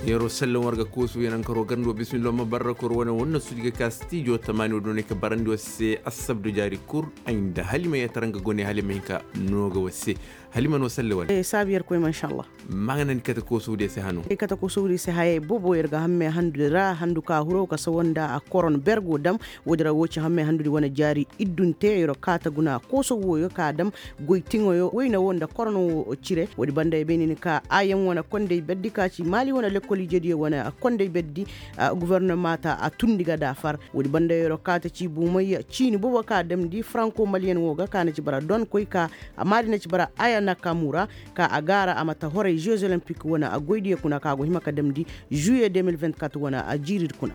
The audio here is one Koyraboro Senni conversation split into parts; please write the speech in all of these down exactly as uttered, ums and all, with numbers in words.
Yeroo sallan war ga koosu yanankaro garndo bismillah ma barra kor wane wanna sudi ga ka stijo tamaani wo donay ka barandi war se assabdu jaari kul ay nda halima yatara nga gone halima hinka no ga war se. Halima no salle wane. Saabi yer koy ma inshallah. Maŋa na ni kate koosu diya se hano. Kate koosu diya se hayay bobo yer ga hamme handu ra handu ka huro ka sawa nda a koron bergo dam. Wo-din ra wo ci hamme handu di wane jaari iddunte yer kaata guna kooso wooyo ka dam. Goy tiŋoyo wayne wo nda korno wo cire wo-din banda ya bay ni ni ka ayam wane kondey berdi ka ci maali wane lekkol ijediyo wane kondey berdi. Gofornoma ta a tundi ga daafar. Wo-din banda yer kaata ci buumay ciini bobo ka damndi faranko maliyen wo ga ka na ci bara donkoy ka maali na ci bara aya nakamura ka a gaara a ma ta horay jeux olympique wane goydiyo kuna ka go hima ka damndi. Juye deux mille vingt-quatre wane jiiridi kuna.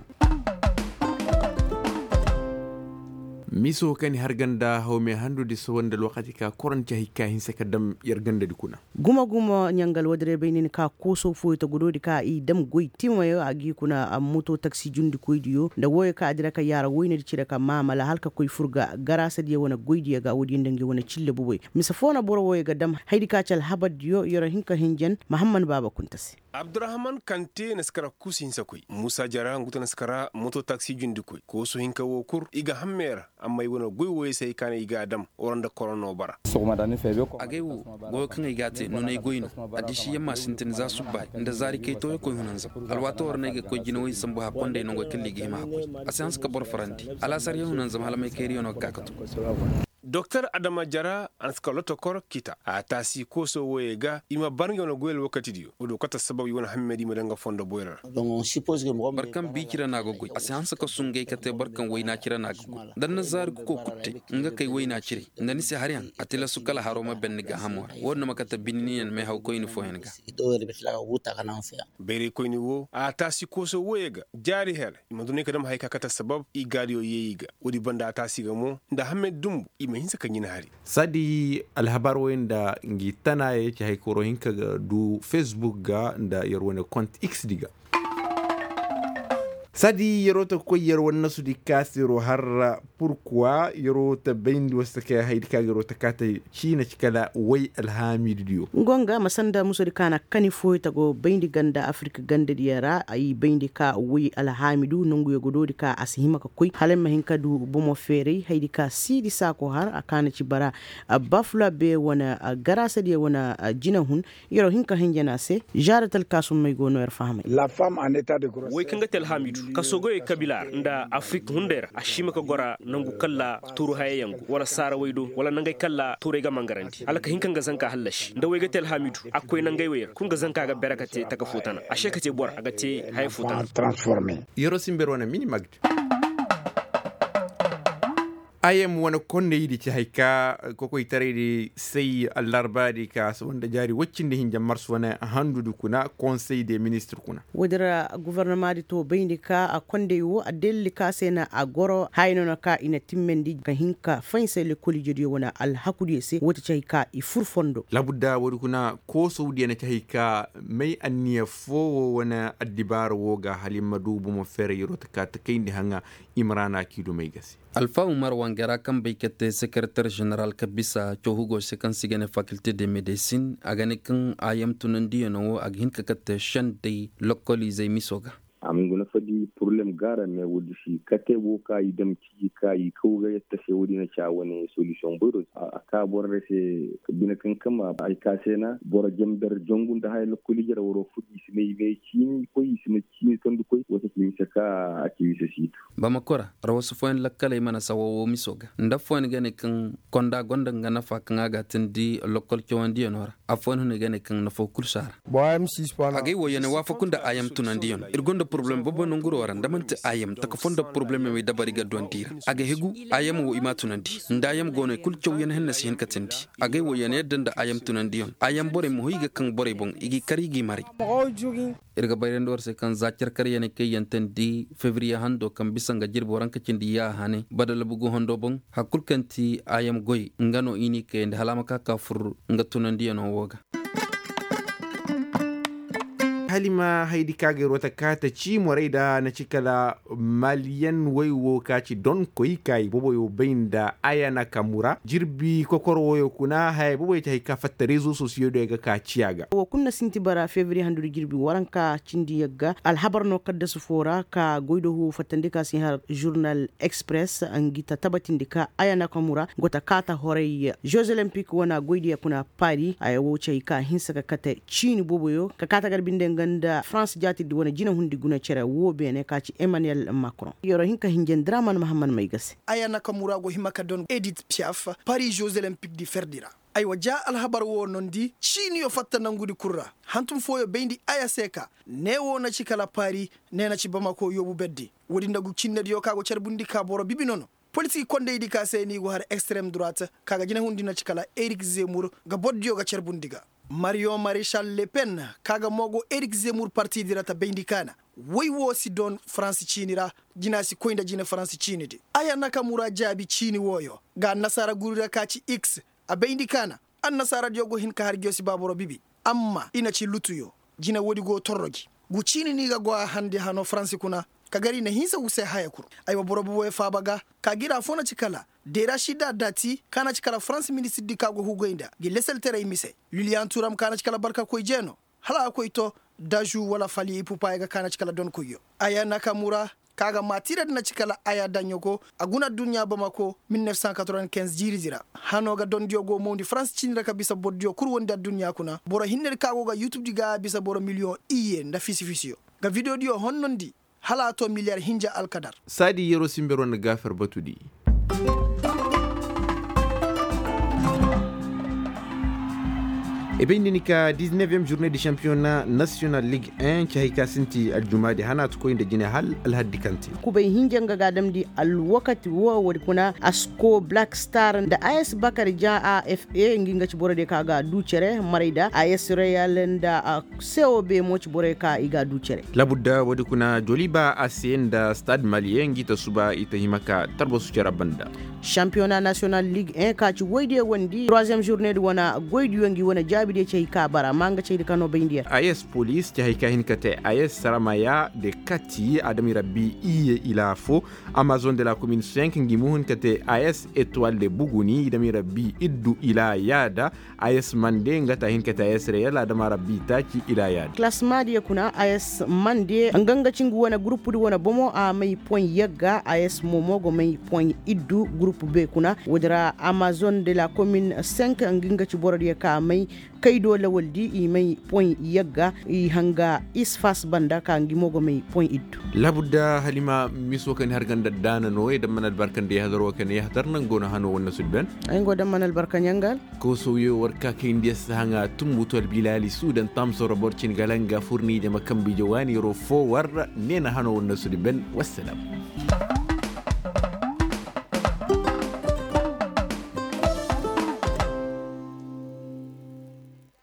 Miso ka ni har ganda hawme handudi sohõ nda alwakati ka koronti hay ka hinse ka dam yer gandadi kuna. Gumo gumo ɲangal woo diray bay ni ni ka kooso fooyo ta godoodi ka i dam goy timayo a g'i kuna moto taksi jundikoydiyo nda wooyo ka a dira ka yaara woynedi cire ka maamala hala ka koy fur ga garaasadiyo wane goydiyo ga woodiyo nda ngi wane cille boboyo. Mise foo na boro wooyo ga dam haydi ka ci alhabardiyo yer hin ka hinjan mahamman baaba kunta se. Abdurahman kante na si kara kuusu hinsa koy muusa jara ngu ta na si kara moto taksi jundikoy koosu hinka woo kul i ga hammey ra. Amma i wane goy wooyey se hay ka ne i g'a dam wara nda korono bara. Agay wo goyo kaŋ ay g'a te nunay goy no. Addiisiyaŋ ma sintin za subbaay nda zaari kay tooyo koy hunanzam. Alwaatoo ra no ay ga koy jinawey sambu hakkonday nangey kaŋ liigi hima hakkoy. A si hanse ka boro farandi. Alaasaryaŋ hunanzam hala maykayriyaŋo ga ka ka tun. Doktor adama jara a na si ka lotokor kita a taasi kooso wooyey ga i ma bar ngey wane goy alwakatidiyo wo-din kate assabab i wane hammey di i ma daŋ nga fondo boyra ra. Boro kaŋ bii cire no a ga goy a si hanse ka sungay ka te boro kaŋ wayna cire no a ga goy. Da ni na zaari ga koy kul te nga kay wayna cire nda ni si haryaŋ a tilasu kala haro ma ben ni gaahamo ra wo-din no ma kate binniyaŋ meehawkoyni fooyaŋ ga. Bayraykoyni wo a taasi kooso wooyey ga jaari hel i ma du no ay ka dam haya ka kate assabab i gaadiyo yee i ga. Woodi banda a taasi ga mo nda hammey dumbu i ma hinse ka ɲin hari. Saadi alhabar wooyey nda ngi tanaayey ci haykaro hinka ga du facebook ga nda yer wane kont x di ga. Saadi yeroo ta koy yer wane nasudi ka se yeroo harra purkuwa yeroo ta bayndi war se kay haydi ka ga yeroo ta kaate ciina ci kala way alhaamiidu diyo. Ngonga ma sanda musodi ka na kani fooyo ta go bayndi ganda afirka gandadiyo ra ay bayndi ka way alhaamiidu nonguyo ga doodi ka a si hima ka koy hala ay ma hin ka du bomo feeray haydi ka siidi saako har a ka na ci bara. Bafula be wane garaasadiyo wane jinahun. Yeroo hin ka hinjana se. Žaada talkaasummey go no yer fahamay. Wey kaŋ ga te alhaamiidu kaso goyey kabila ra nda afirik hunday ra a si hima ka gora nangu kalla tuuru hayayaŋ go wala saarawey do wala nangey kalla tuurey ga mangarandi hala ka hin ka nga zanka hallasi nda wey ga te alhaamiidu a ga koy nangey wey ra kul nga zanka ga bere ka te taka fo tana a se ka te boro a ga te haya fo tana. Yeroo simber wane mini magd. Ayam wane konney di ci hay ka kokoytaray di say allarba di ka saba nda jaari woy cindi hinja mars wane handu di kuna konsey de ministir kuna. Woy din ra gofornoma di to bayndi ka a kondey wo a delli ka se na a goro haya no na ka i na timmandi ka hin ka faysay lekkol ijediyo wane alhakudiyo se wo ti ci hay ka i fur fondo. Labudda woy di kuna koosow diyo na ci hay ka may anniya foo wo wane addibaara wo ga hala i ma du bomo feeray yeroo ta ka ta kayndi haŋa. Imrana kii dumey ga se. Alfa umar wangera kaŋ bay ka te sekereter ženeral ka bisa cawhugo se kaŋ se i ga ne fakilte de medesin a ga ne kaŋ a yam tunandiyano wo a ga hin ka kate sendey lokkoliizey miso ga. A ma ngu nafa di poroblem gaara me woodi si kate wo ka i dam ciji ka i kaw ga yatta se woodi na ca wane solisiyoŋ boyro a ka borey se. Bine kaŋ kama ay ka se na boro jamber jongu nda haya lokkoliize ra waroo fur i si ne i me ciini koy i si ne ciini tondi koy wo se ci mise ka a ci mise siitu. Bamakora rawasu fooyaŋ lakkaley mana sawa woo miso ga nda affooyaŋ ga ne kaŋ konda gonda nga nafa kaŋ a ga a tindi lokkol cawandiyano ra. Affooyaŋ hunay ga ne kaŋ nafoo kul si a ra. Agay woo ya na waafaku nda ayam tunandiyaŋ ir gonda poroblem bobo nanguroo ra nda man'ti ayam taka foo nda poroblem yaŋ way dabari ga dondi i ra. A ga hegu ayam woo i m'a tunandi nda ayam go no i kul cawyaŋ hinne si hin ka tindi. Agay woo ya na yadda nda ayam tunandiyaŋ ayam borey ma hoy i ga kaŋ borey boŋ i g'i kar i g'i maray. Ir ga bayrandi war se kaŋ za carkaryaney kaŋ i yantandi febriye hando kaŋ bisa nga jirbi waranka cindi ya hane badalabu go hando boŋ. Hari kul kaŋ ti ayam goy nga no i n'i kayandi hala a ma ka ka fur nga tunandiyano wo ga. Alima haydi ka ga yer wata kaata ci morey da na ci kala maliyen woy wo ka ci donkoy ka i boboyo bay nda aya na kamu ra jirbi kokor woyo kuna haya boboyo ci hay ka fatta rezo sosiyo do ya ga ka ciya ga. Wo kulu na sinti bara febriye handudi jirbi waranka cindi yagga alhabar no kaddasu fo ra ka goy do huwo fattandi ka si har žurnal express ngi ta tabatindi ka aya na kamu ra go ta kaata horay jeux olympique wana goy diya kuna pari aya wo ci hay ka hinsa ka kate ciini boboyo ka kaata gar binde nga nda france jaati di wane jinahundi guna cere wo beene ka ci emmanuel macron yero hinka hinje ndraman mahammad may ga se. Aya nakamura go hima ka don edit piaf pari jeux olympique di ferdi ra. Aywa ja alhabar wo nondi ciiniyo fatta nangudi kul ra. Hantum fooyo bayndi aya se ka ne wo na ci kala pari ne na ci bamako yoobu berdi. Woodi nda gu cinnediyo ka go carbundi ka boro bibi nono. Politik kondaydi ka se ni go har extreme droite ka ga jinahundi na ci kala erik zemur ga bordiyo ga carbundi ga. Marion marechal le pen ka ga mo go erik zemur partidi ra ta bayndi kaana. Woy wo si don faransi ciini ra. Jina si koy nda jina faransi ciini di. Aya nakamura jaabi ciini wooyo ga annasaara guri ra ka ci x. A bayndi kaana annasaaradiyo go hin ka har ngiyo si ba boro bibi. Amma i na ci lutuyo. Jina woodi go torro gi. Gu ciini ni ga go a handi hano faransi kuna. Ka gar i na hinsa gu se haya kul. Aywa boro boboyo faaba ga ka gira fo na ci kala derashida dati ka na ci kala faransi ministirdi ka go hugay nda gi leselteray mise. Liliyan turam ka na ci kala barkakoy jeeno. Hala a koy to daju wala fali ipupa ya ga ka na ci kala donkoyyo. Aya nakamura ka ga maatira di na ci kala aya daɲɲo go a guna adduɲɲa bamako mil nef san katroben kinz jiiridi ra. Hano ga dondiyo go mawndi faransi ciini ra ka bisa bordiyo kul wondi adduɲɲa kuna boro hinnedi ka go ga yutubdi ga a bisa boro miliyoŋ iyye nda fisi-fisiyo ga vidiyodiyo honnondi. Hala a to miliyar hinja alkadar. Saadi yero sinbero nda gaafer batudi. I bay nda ni ka dizneviyem žurne di šampiyona nasiyonal lig en ci hay ka sinti aljumaadi hanaatu koy nda jine hal alhaddi kaŋ te. Kubay hinja nga ga a damndi alwakati wo woodi kuna asko black star nda a s bakar ja a f e ngi nga ci borodiyo ka ga a du cere maray da a s reyal nda a se wo be mo ci borey ka i ga a du cere. Labudda woodi kuna joliba a se nda stade maliye ngi ta suba i ta hima ka tarbasu cere banda. Šampiyona nasiyonal lig en ka ci woydiyo wandi troisiyem žurne di wane goydiyo ngi wane jaabidiyo ci hay ka bara amma nga caydi ka no bayndi yer. A s polis ci hay ka hin ka te a s saramaya de kati adami rabbi iye ila fo. Amazon de la komin cinq ngi mo hin ka te a s etoile de buguni idami rabbi iddu ila yaada. A s mande nga ta hin ka te a s reyal adama rabbi taaci ila yaada. Klasmaadiyo kuna a s mande nga nga ci ngu wane gurupudi wane bomo a may poy yagga a s momo go may poy iddu gurupu be kuna woodi ra amazon de la komin cinq ngi nga ci borodiyo ka may kaydo lawaldi i may poy yagga i hanga isfas banda ka ngi mo go may poy iddu. Labudda halima miso kaŋ ni har ganda daana no ay damman albarka nda yahadar wo kaŋ ni yahadar naŋ go no hano wane sudben. Ay ngo damman albarka ɲangal. Koosowyo war ka kay nda yassa haŋa tumbu to albilaali suudan tamsoro boro cin galanga furni jama kambi jawaani yaro fo war. Neena hano wane sudben. Wassalam.